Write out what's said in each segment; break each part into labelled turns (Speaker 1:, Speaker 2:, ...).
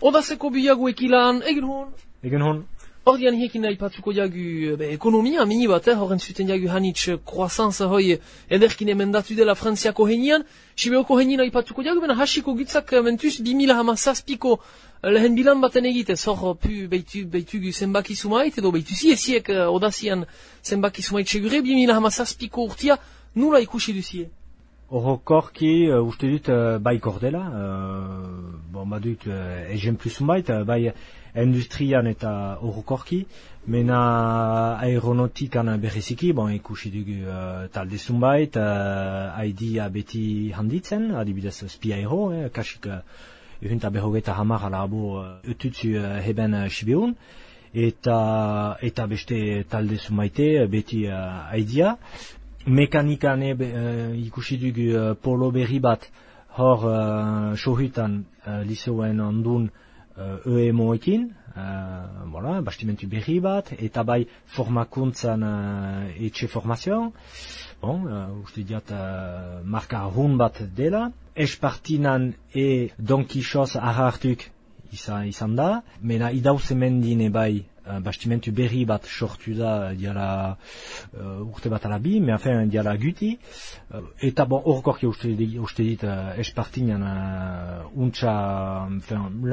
Speaker 1: Odazeko biagu ekilan, egin hon.
Speaker 2: Egen hon.
Speaker 1: Ordian hiekin aipatzuko jagu ekonomia, mini bat, horren zuten jagu hanitz croissance hoi ederkin emendatu dela Frantziako henian, Sibeoko henien aipatzuko jagu, bena hasiko gitzak mentuz 2017ko lehen bilan baten egitez, hor pu beitugu zenbaki sumait, edo beituzi esiek odazian zenbaki sumait segure, 2017ko urtia nula ikusi duzie.
Speaker 2: Orokorki, uste dut bai kordela, badut exemplu zunbait, bai industrian eta orokorki, mena aeronautikan bereziki, ikusi dugu talde zunbait, haidia beti handitzen, adibidez Spiaero, kasik ehunta berrogeita hamar alabo ututzu heben Sibeun, eta beste talde zunbaite beti haidia. Mekanikan ikusi dugu polo berri bat hor sohutan liceoen ondun EMO-ekin, bastimentu berri bat, eta bai formakuntzan etxe formazioan, uste diat marka hun bat dela. Espartinan Don Quixote ahartuk izan da, mena idauzemendin bai bastimentu berri bat sortu da diala urte bat alabi, me afen diala guti, eta horkorki uste dit Espartinan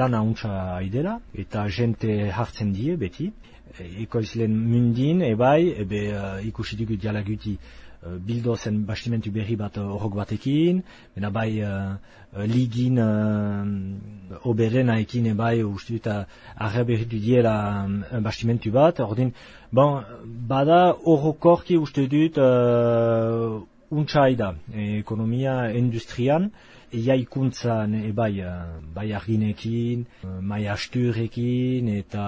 Speaker 2: lana untsa idela, eta jente hartzen die beti, ekoizlen mundin ebai, ikusi dugu diala guti bildo zen bastimentu berri bat horrok batekin, bena bai ligin oberenaekin ebai uste dut arreberritu diela bastimentu bat, ordin, bada horrokorki uste dut untsaida ekonomia industrian, jaikuntzan bai arginekin, mai asturekin eta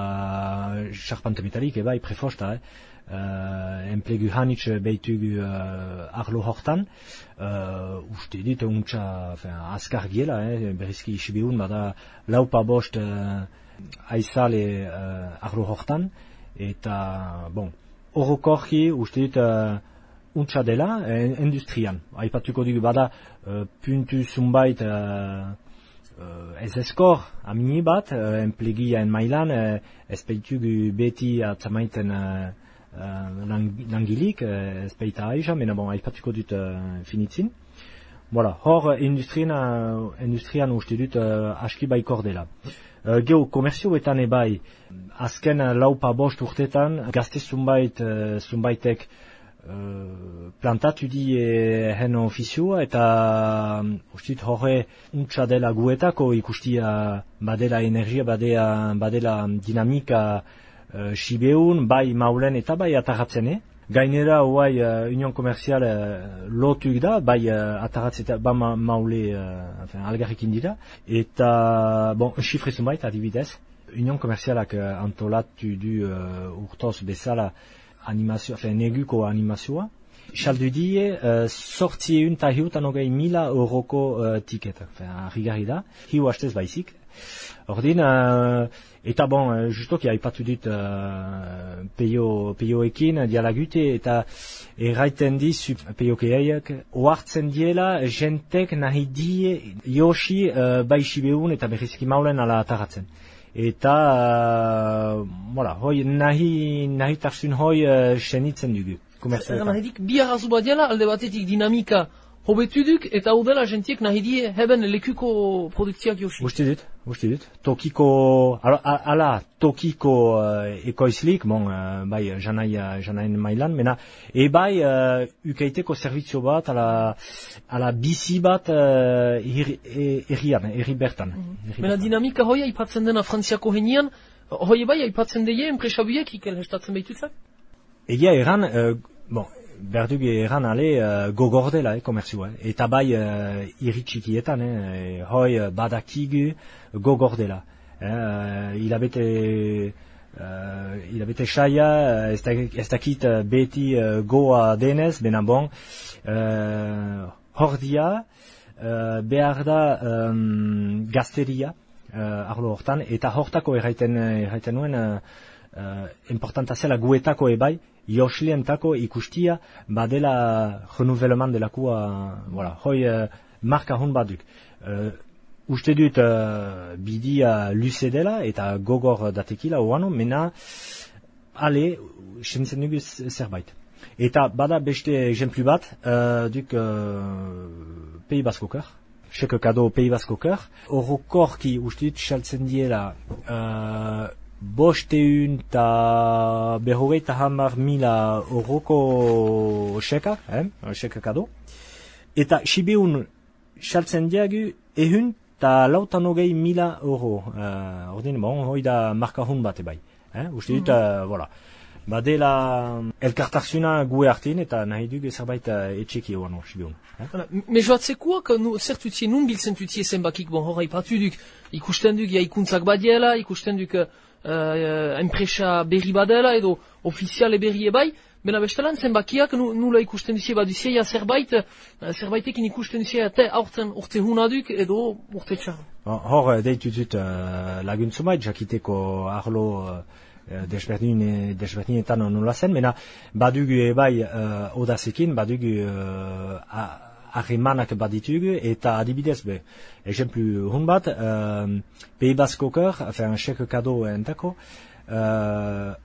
Speaker 2: charpante metalik ebai prefosta, enplegu hanitz beitugu arlo hortan, uste dit untsa azkar giela, berrizki Sibeun, bada laupa bost aizale arlo hortan, eta orokorki uste dit untsa dela industrian. Aipatuko dugu bada puntu zunbait ez eskor amini bat, enplegiaen mailan, ez beitugu beti atzamaiten langilik, ez baita aiza, mena aipatuko dut finitzin. Hor industrian uste dut aski baikor dela. Geo, komerzioetan ebai, azken laupa bost urtetan, gazte zunbaitek plantatu di hen ofizioa, eta uste dut horre untsa dela guetako ikustia badela energia, badela dinamika Sibeun, bai maulen eta bai atarratzen, Gainera, hoai, Union Komerzial lotuk da, bai atarratzeta, ba maule algarrekin dira, eta, xifre zunbait, adibidez, Union Komerzialak antolatu du urtoz bezala animazioa, neguko animazioa, saldu die, sortzieun ta hiutan hogei €1,000 tiket, harrigarri da, hiu hastez baizik. Ordin, eta justoki aipatu dut peioekin dialagute, eta erraiten dizu peiokeaiak ohartzen diela jentek nahi die Yoshi bai Sibeun eta berrizki maulen ala ataratzen. Eta, hoi nahi tarzun hoi senitzen dugu.
Speaker 1: Nahidik bi arrazu bat diala, alde batetik dinamika hobetu duk, eta hau dela jentiek nahi die heben lekuko produktiak Yoshi.
Speaker 2: Uste dut. Tokiko ekoizlik, bai janain mailan, mena, ebai ukaiteko servizio bat, ala bizi bat erri bertan.
Speaker 1: Mena dinamika hoi aipatzen dena Frantziako henian, hoi ebai aipatzen deie enpresabuiek ikel hestatzen behitutzak?
Speaker 2: Egia eran, berdugu eran ale gogordela komerzioa, eta bai irritxikietan, hoi badakigu gogordela. Hilabete saia, ez dakit beti goa denez, bena hor dia, behar da gazteria arlo hortan, eta hortako erraiten nuen importanta zela guetako ebai, Joslientako ikustia badela renouvellement delakua, hoi marka hon baduk. uste dut bidia luze dela eta gogor datekila oano, mena ale, sentzen dugu zerbait. Eta bada beste exemplu bat, duk Pays Basque-Oker, Chèque Cadeau Pays Basque-Oker, orokorki uste dut saltzen diela 500 eta 50.000 euroko chèque, Chèque Cadeau, eta sibeun saltzen diagu 150.000 euro. Ordin, bon, hoi da markahun bat ebai. Uste dut, voilà. Badela elkartarsuna gue hartin eta nahi duk zerbait etxeki oan orsibion.
Speaker 1: Me joatzekuak, zertutie, nun biltzen tutie zenbakik, bon, hor haipatu duk, ikusten duk ikuntzak badiela, ikusten duk enpresa berri badela edo ofiziale berri ebai, bena bestelan zenbakiak nula ikusten duzie baduzie, zerbaitekin ikusten duzie eta aurten urte hunaduk edo urte txar.
Speaker 2: Hor deitu dut laguntzumait, jakiteko arlo desberdinetan nola zen, mena badugu ebai odazekin, badugu harremanak baditugu, eta adibidez be, exemplu hun bat, Pays Basque-Oker, Chèque Cadeau entako,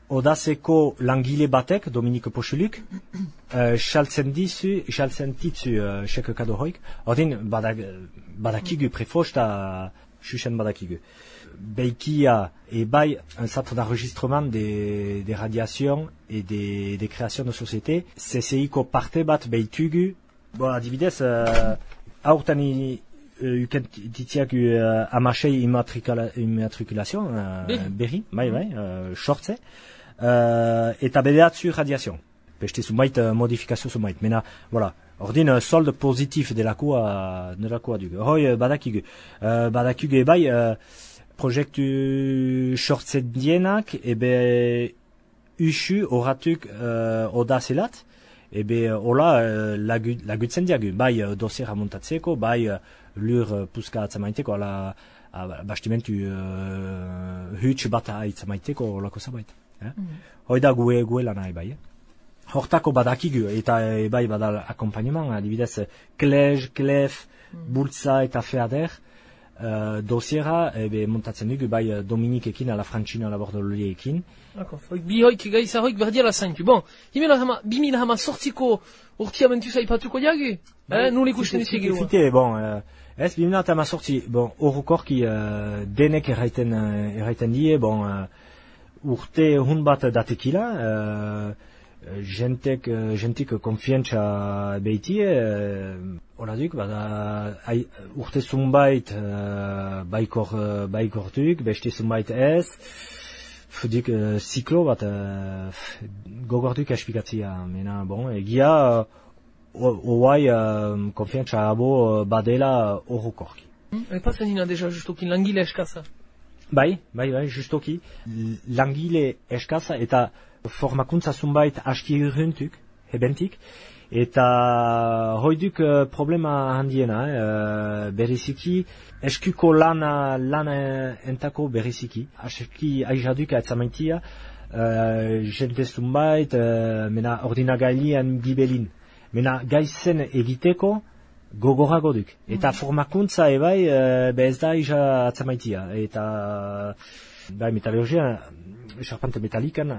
Speaker 2: odazeko langile batek, Dominique Pochuluk, xaltzen ditzu Chèque Cadeau hoik, ordin badakigu prefosta xuxen badakigu. Beikia et bai un centre d'enregistrement des radiations et des créations de société. CCIko parte bat beitugu. Bon, adibidez, aurtani ukentitiak amasei immatriculation, berri, bai, shortze, eta bederatzu radiation. Beste zumait modifikazio zumait. Mena, voilà. Ordin solde positif delakoa dugu. Hoi badakigu. Badakigu bai proiektu sortzen dienak, ebe usu horatuk odazelat, ebe hola lagutzen diagu, bai dosiera montatzeko, bai lur puska atzamaiteko, ala bastimentu huts bat aitzamaiteko olako zabait. Hoi da gue lanai bai. Hortako badakigu, eta bai badal akompagnement, adibidez klej, klef, bultza eta feader, dosiera, montatzen dugu, bai Dominikekin, ala Frantzina labordoliekin.
Speaker 1: Bi hoik gaiza hoik berdiala zaintu. Bon, 2000 sortziko urtia bentuz aipatuko diagu? Nun ikusten dizegi.
Speaker 2: Fite, bon, ez 2000 sortzi, bon, orokorki denek erraiten die, bon, urte hun bat datekila, jentik konfientza behitie, hola duk, bada urte zunbait baikortuk, beste zunbait ez, duk ziklo bat gogortuk espikatzia, mena, bon, egia oai konfientza abo badela orokorki.
Speaker 1: Epatzen dina deja justokin langile eskaza?
Speaker 2: Bai, justoki, langile eskaza eta formakuntza zunbait aski urruntuk, hebentik, eta hoiduk problema handiena, beriziki, eskuko lana entako beriziki, aski aizaduk atzamaitia, jente zunbait, mena ordinagailian gibelin, mena gaizen egiteko gogorago duk, eta formakuntza ebai ez da aiza atzamaitia, eta bai metalurgia, charpente metalikan,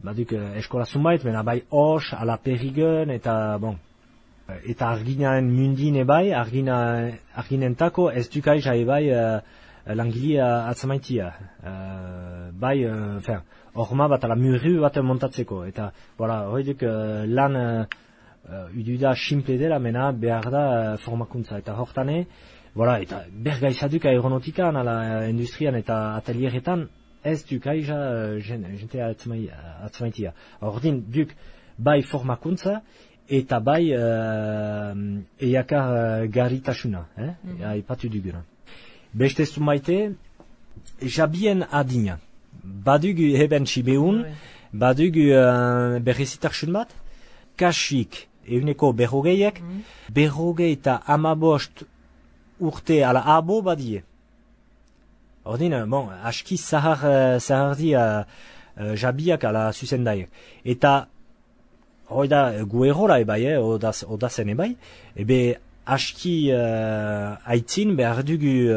Speaker 2: baduk eskola zunbait, mena bai hors, ala perigen, eta bon, eta arginaen mundin ebai, arginentako ez dukaiza ebai langilia atzamaitia. Bai, orma bat ala murru bat montatzeko, eta voilà, hoiduk lan ududa simple dela, mena behar da formakuntza, eta hortane, voilà, eta bergaizaduk aeronautikan, ala industrian eta atelieretan, ez duk aiza jente atzmaitia. Ordin duk bai formakuntza eta bai eiakar garritasuna, aipatu duguna. Beste zumaite, jabien adina. Badugu heben sibeun, badugu berrezitarsun bat, kasik euneko berrogeiek, berrogei eta amabost urte ala abo badie. Ordin, bon, aski zahar di jabiak ala zuzendaiek. Eta, hoi da, gu errola ebai, odazen ebai, ebe aski aitzin behar dugu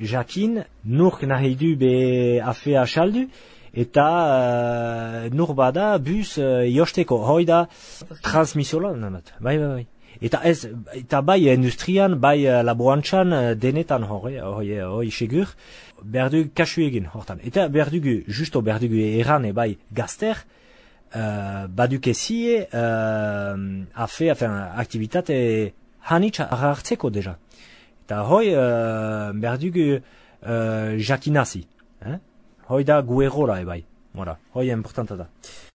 Speaker 2: jakin nurk nahi du be afea saldu eta nur bada bus josteko hoi da transmisiola namat. Bai. Eta bai industrian, bai laborantzan denetan hoi segur behar dugu kasu egin hortan. Eta behar dugu, justo behar dugu erran bai gazter badukezie aktivitate hanitz hartzeko deja. Eta hoi behar dugu jakinazi. Hoi da gu egola bai. Hoi importanta da.